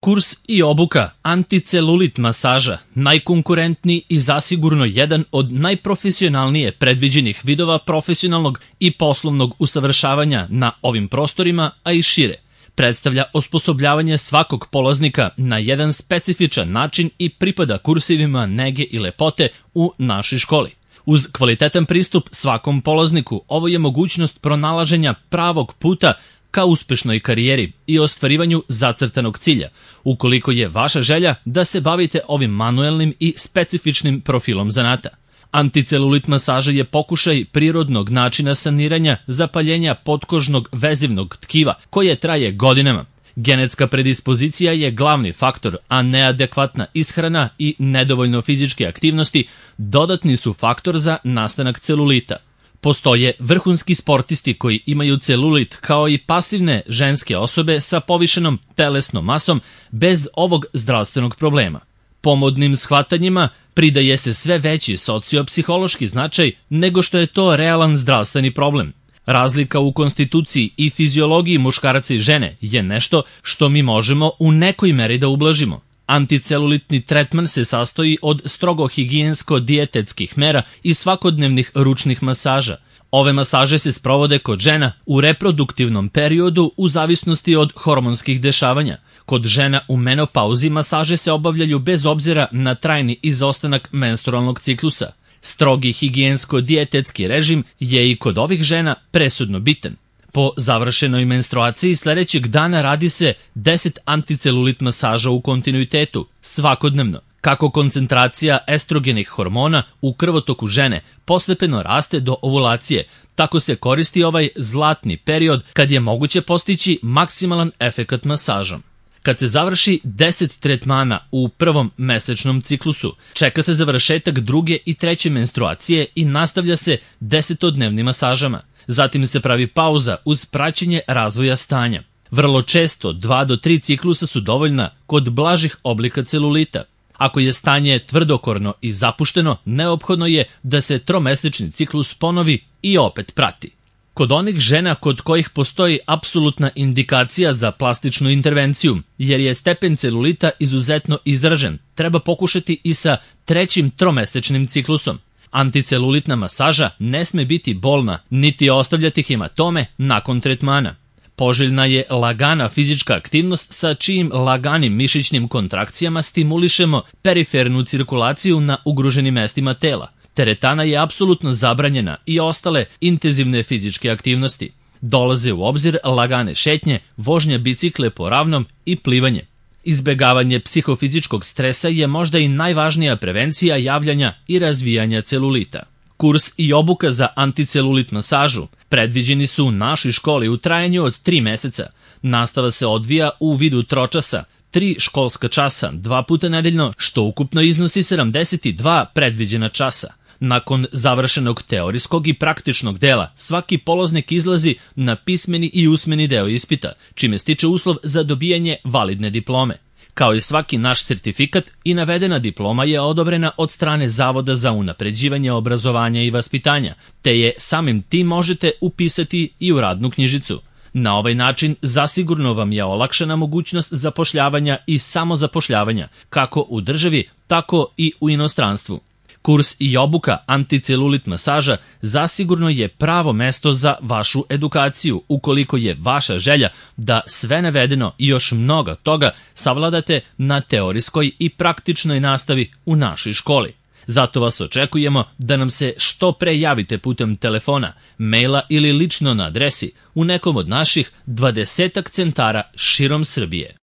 Kurs i obuka anticelulit masaža, najkonkurentniji i zasigurno jedan od najprofesionalnije predviđenih vidova profesionalnog i poslovnog usavršavanja na ovim prostorima, a i šire. Predstavlja osposobljavanje svakog polaznika na jedan specifičan način i pripada kursivima nege i lepote u našoj školi. Uz kvalitetan pristup svakom polazniku, ovo je mogućnost pronalaženja pravog puta ka uspešnoj karijeri i ostvarivanju zacrtanog cilja, ukoliko je vaša želja da se bavite ovim manuelnim i specifičnim profilom zanata. Anticelulit masaža je pokušaj prirodnog načina saniranja zapaljenja potkožnog vezivnog tkiva koje traje godinama. Genetska predispozicija je glavni faktor, a neadekvatna ishrana i nedovoljno fizičke aktivnosti dodatni su faktor za nastanak celulita. Postoje vrhunski sportisti koji imaju celulit kao i pasivne ženske osobe sa povišenom telesnom masom bez ovog zdravstvenog problema. Pomodnim shvatanjima pridaje se sve veći sociopsihološki značaj nego što je to realan zdravstveni problem. Razlika u konstituciji i fiziologiji muškarca i žene je nešto što mi možemo u nekoj meri da ublažimo. Anticelulitni tretman se sastoji od strogo higijensko-dijetetskih mera i svakodnevnih ručnih masaža. Ove masaže se sprovode kod žena u reproduktivnom periodu u zavisnosti od hormonskih dešavanja. Kod žena u menopauzi masaže se obavljaju bez obzira na trajni izostanak menstrualnog ciklusa. Strogi higijensko-dijetetski režim je i kod ovih žena presudno bitan. Po završenoj menstruaciji sledećeg dana radi se 10 anticelulit masaža u kontinuitetu, svakodnevno. Kako koncentracija estrogenih hormona u krvotoku žene postepeno raste do ovulacije, tako se koristi ovaj zlatni period kad je moguće postići maksimalan efekat masažom. Kad se završi 10 tretmana u prvom mesečnom ciklusu, čeka se završetak druge i treće menstruacije i nastavlja se 10-dnevnim masažama. Zatim se pravi pauza uz praćenje razvoja stanja. Vrlo često 2 do 3 ciklusa su dovoljna kod blažih oblika celulita. Ako je stanje tvrdokorno i zapušteno, neophodno je da se tromesečni ciklus ponovi i opet prati. Kod onih žena kod kojih postoji apsolutna indikacija za plastičnu intervenciju, jer je stepen celulita izuzetno izražen, treba pokušati i sa 3. tromesečnim ciklusom. Anticelulitna masaža ne sme biti bolna, niti ostavljati hematome nakon tretmana. Poželjna je lagana fizička aktivnost sa čijim laganim mišićnim kontrakcijama stimulišemo perifernu cirkulaciju na ugroženim mestima tela. Teretana je apsolutno zabranjena i ostale intenzivne fizičke aktivnosti. Dolaze u obzir lagane šetnje, vožnja bicikle po ravnom i plivanje. Izbegavanje psihofizičkog stresa je možda i najvažnija prevencija javljanja i razvijanja celulita. Kurs i obuka za anticelulit masažu predviđeni su u našoj školi u trajanju od 3 meseca. Nastava se odvija u vidu tročasa, 3 školska časa, 2 puta nedeljno, što ukupno iznosi 72 predviđena časa. Nakon završenog teorijskog i praktičnog dela, svaki polaznik izlazi na pismeni i usmeni deo ispita, čime stiče uslov za dobijanje validne diplome. Kao i svaki naš sertifikat, i navedena diploma je odobrena od strane Zavoda za unapređivanje obrazovanja i vaspitanja, te je samim tim možete upisati i u radnu knjižicu. Na ovaj način zasigurno vam je olakšana mogućnost zapošljavanja i samozapošljavanja, kako u državi, tako i u inostranstvu. Kurs i obuka anticelulit masaža zasigurno je pravo mesto za vašu edukaciju, ukoliko je vaša želja da sve navedeno i još mnogo toga savladate na teorijskoj i praktičnoj nastavi u našoj školi. Zato vas očekujemo da nam se što pre javite putem telefona, maila ili lično na adresi u nekom od naših 20 centara širom Srbije.